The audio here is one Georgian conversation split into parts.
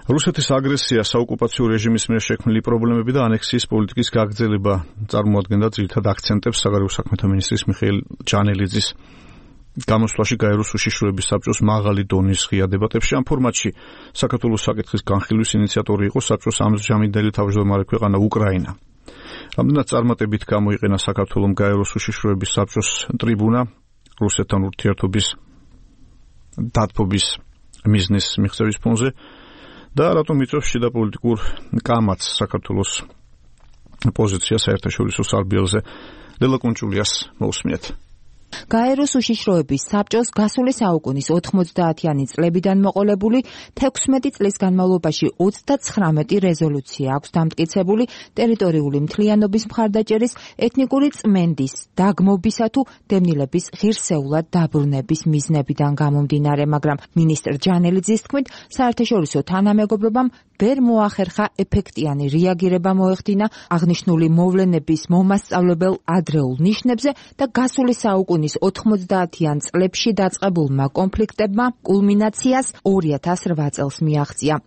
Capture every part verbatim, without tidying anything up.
რუსეთის აგრესია, საოკუპაციო რეჟიმის მიერ შექმნილი პრობლემები და ანექსიის პოლიტიკის გაგრძელება წარმოადგენდა ძირითად აქცენტებს საგარეო საქმეთა მინისტრის მიხეილ ჯანელიძის გამოსვლაში გაეროს უშიშროების საბჭოს მაღალი დონის ღია დებატებში. ამ ფორმატში საქართველოს საკითხის განხილვის ინიციატორი იყო საბჭოს ამჟამინდელი თავმჯდომარე ქვეყანა უკრაინა. რამდენად წარმატებით გამოიყენა საქართველომ გაეროს უშიშროების საბჭოს ტრიბუნა რუსეთთან ურთიერთობის დათბობის მიზნის მიღწევის ფონზე და რატომ იწვევს შიდა პოლიტიკურ კამათს საქართველოს პოზიცია საერთაშორისო სარბიელზე. ლელა კუნჭულიას მოусმინეთ. გაეროს უშიშროების საბჭოს გასული საუკუნის ოთხმოცდაათიანი წლებიდან მოყოლებული თექვსმეტი წლის განმავლობაში ოცდაცხრამეტი რეზოლუცია აქვს დამტკიცებული ტერიტორიული მთლიანობის მხარდაჭერის, ეთნიკური წმენდის, დაგმობისა თუ დევნილების ღირსეულად დაბრუნების მიზნებიდან გამომდინარე, მაგრამ მინისტრ ჯანელიძის თქმით, საერთაშორისო თანამეგობრობამ ვერ მოახერხა ეფექტიანი რეაგირება მოეხდინა აღნიშნული მოვლენების მომასწავლებელ ადრეულ ნიშნებზე და გასული საუკუნის ოთხმოცდაათიან წლებში დაწყებულმა კონფლიქტებმა კულმინაციას ორი ათას რვა წელს მიაღწია.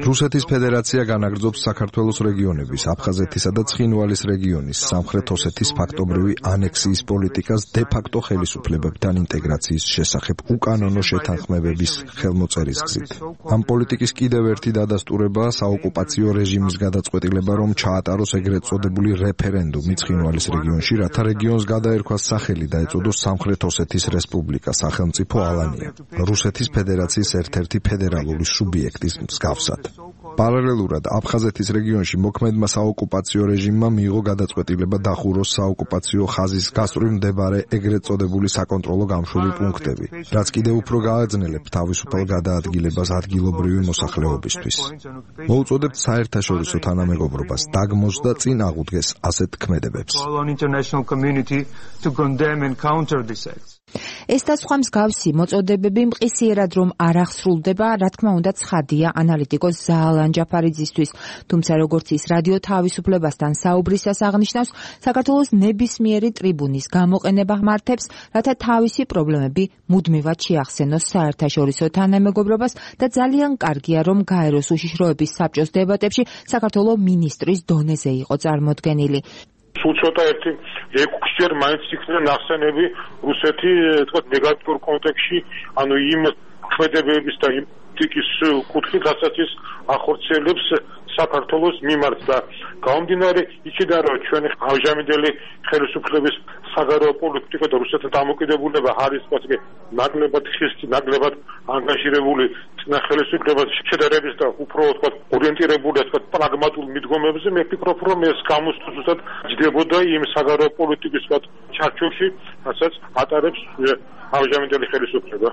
რუსეთის ფედერაცია განაგრძობს საქართველოს რეგიონების, აფხაზეთისა და ცხინვალის რეგიონის, სამხრეთ ოსეთის ფაქტობრივი ანექსიის პოლიტიკას დე-ფაქტო ხელისუფლებებთან ინტეგრაციის შესახებ უკანონო შეთანხმებების ხელმოწერის გზით. ამ პოლიტიკის კიდევ ერთი დადასტურებაა საოკუპაციო რეჟიმის გადაწყვეტილება, რომ ჩაატაროს ეგრეთ წოდებული რეფერენდუმი ცხინვალის რეგიონში, რათა რეგიონს გადაერქვას სახელი და ეწოდოს სამხრეთ ოსეთის რესპუბლიკა, სახელმწიფო ალანია, რუსეთის ფედერაციის ერთ-ერთი ფედერალური სუბიექტის მსგავსად. პარალელურად აფხაზეთის რეგიონში მოქმედმა საოკუპაციო რეჟიმმა მიიღო გადაწყვეტილება დახუროს საოკუპაციო ხაზის გასწვრივ მდებარე ეგრეთ წოდებული საკონტროლო გამშვები პუნქტები, რაც კიდევ უფრო გააძნელებთ თავისუფალ გადაადგილებას ადგილობრივი მოსახლეობისთვის. მოუწოდებთ საერთაშორისო თანამეგობრობას დაგმოს და წინ აღუდგეს ასეთ ქმედებებს. ეს და სხვა მსგავსი მოწოდებები მყისიერად რომ არ აღსრულდება, რა თქმა უნდა ცხადია ანალიტიკოს ზაალან ჯაფარიძისთვის, თუმცა როგორც ის რადიო თავისუფლებასთან საუბრისას აღნიშნავს, საქართველოს ნებისმიერი ტრიბუნის გამოყენება მართებს, რათა თავისი პრობლემები მუდმივად შეახსენოს საერთაშორისო თანამეგობრობას და ძალიან კარგია, რომ გაეროს უშიშროების საბჭოს დებატებში საქართველოს მინისტრის დონეზე იყო წარმოდგენილი. სულ ცოტა ერთი ექვსჯერ მაინც იქნება ნახსენები რუსეთი თქვა ნეგატიურ კონტექსტში, ანუ იმ ქმედებების და იმ ტიკის კუთხით, რასაც ის ახორციელებს საქართველოს მიმართ და გამომდინარე იქიდან, რომ ჩვენი ამჟამინდელი ხელისუფლების საგარეო პოლიტიკა და რუსეთთან დამოკიდებულება არის თქვა ნაკლებად ხისტი, ნაკლებად ანგაჟირებული ხელისუფლებას შედარების და უფრო თქვა ორიენტირებული თქვა პრაგმატულ მიდგომებზე, მე ვფიქრობ, რომ ეს გამოსწორებულად ჯდებოდა იმ საგარეო პოლიტიკის თქვა ჩარჩოში, რასაც ატარებს ამჟამინდელი ხელისუფლება.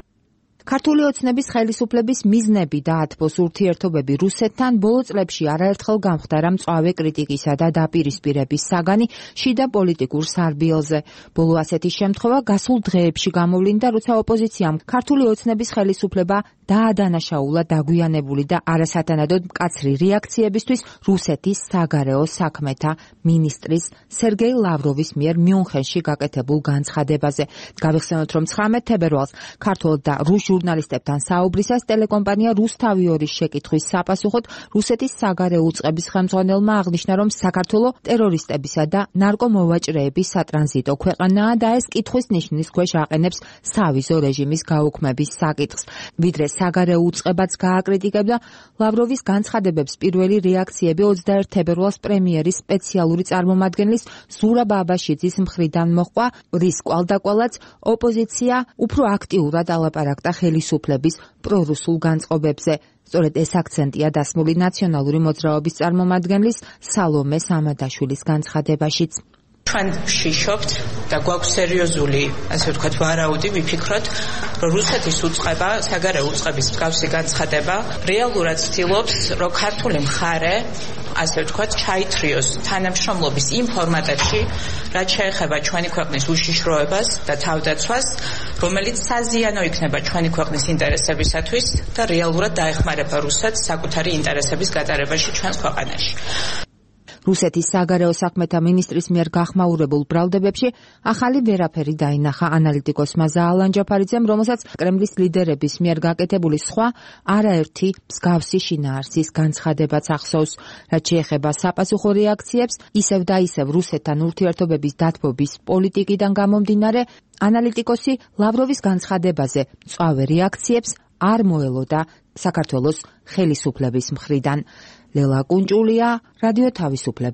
ქართული ოცნების ხელისუფლების მიზნები და ათბოს ურთიერთობები რუსეთთან ბოლო წლებში არაერთხელ გამხდარა მწვავე კრიტიკისა და დაპირისპირების საგანი შიდა პოლიტიკურ სარბიელზე. ბოლო ასეთი შემთხვევა გასულ დღეებში გამოვლინდა, როცა ოპოზიციამ ქართული ოცნების ხელისუფლება დაადანაშაულა დაგვიანებული და არასათანადოდ მკაცრი რეაქციებისთვის რუსეთის საგარეო საქმეთა მინისტრის სერგეი ლავროვის მიერ მიუნხენში გაკეთებულ განცხადებაზე. გავიხსენოთ, რომ ცხრამეტ თებერვალს ქართულ და რუს ჟურნალისტებთან საუბრისას ტელეკომპანია რუსთავიორის შეკითხვის საპასუხოდ რუსეთის საგარეო უწყების ხელმძღვანელმა აღნიშნა, რომ საქართველო ტერორისტებისა და ნარკომოვაჭრეების სატრანზიტო ქვეყანაა და ეს კითხვის ნიშნის ქვეშ აყენებს სავიზო რეჟიმის გაუქმების საკითხს. ვიდრე საგარეო უწყებაც გააკრიტიკებდა ლავროვის განცხადებებს, პირველი რეაქციები ოცდაერთი თებერვალს პრემიერის სპეციალური წარმომადგენლის ზურაბ აბაშიძის მხრიდან მოჰყვა, რის კვალდაკვალაც ოპოზიცია უფრო აქტიურად ალაპარაკდა ხელისუფლების პრორუსულ განწყობებზე. სწორედ ეს აქცენტია დასმული ნაციონალური მოძრაობის წარმომადგენლის სალომე სამადაშვილის განცხადებაშიც. ჩვენ ვშიშობთ და გვაქვს სერიოზული, ასე ვთქვათ, ვარაუდი, ვიფიქროთ, რომ რუსეთის უწყება, საგარეო უწყების მსგავსი განცხადება რეალურად ცდილობს, რომ ქართული მხარე, ასე ვთქვათ, ჩაითრიოს თანამშრომლობის იმ ფორმატებში, რაც შეეხება ჩვენი ქვეყნის უშიშროებას და თავდაცვას, რომელიც საზიანო იქნება ჩვენი ქვეყნის ინტერესებისათვის და რეალურად დაეხმარება რუსეთს საკუთარი ინტერესების გატარებაში ჩვენს ქვეყანაში. რუსეთის საგარეო საქმეთა მინისტრის მიერ გახმაურებულ ბრალდებებში ახალი ვერაფერი დაინახა ანალიტიკოსმა ზაალან ჯაფარიძემ, რომელსაც კრემლის ლიდერების მიერ გაკეთებული სხვა არაერთი მსგავსი შინაარსის განცხადებაც ახსოვს. რაც შეეხება საპასუხო რეაქციებს, ისევ და ისევ რუსეთთან ურთიერთობების დათბობის პოლიტიკიდან გამომდინარე, ანალიტიკოსი ლავროვის განცხადებაზე მწვავე რეაქციებს არ მოელოდა საქართველოს ხელისუფლების მხრიდან. ლელა კუნჭულია, რადიო თავისუფლება.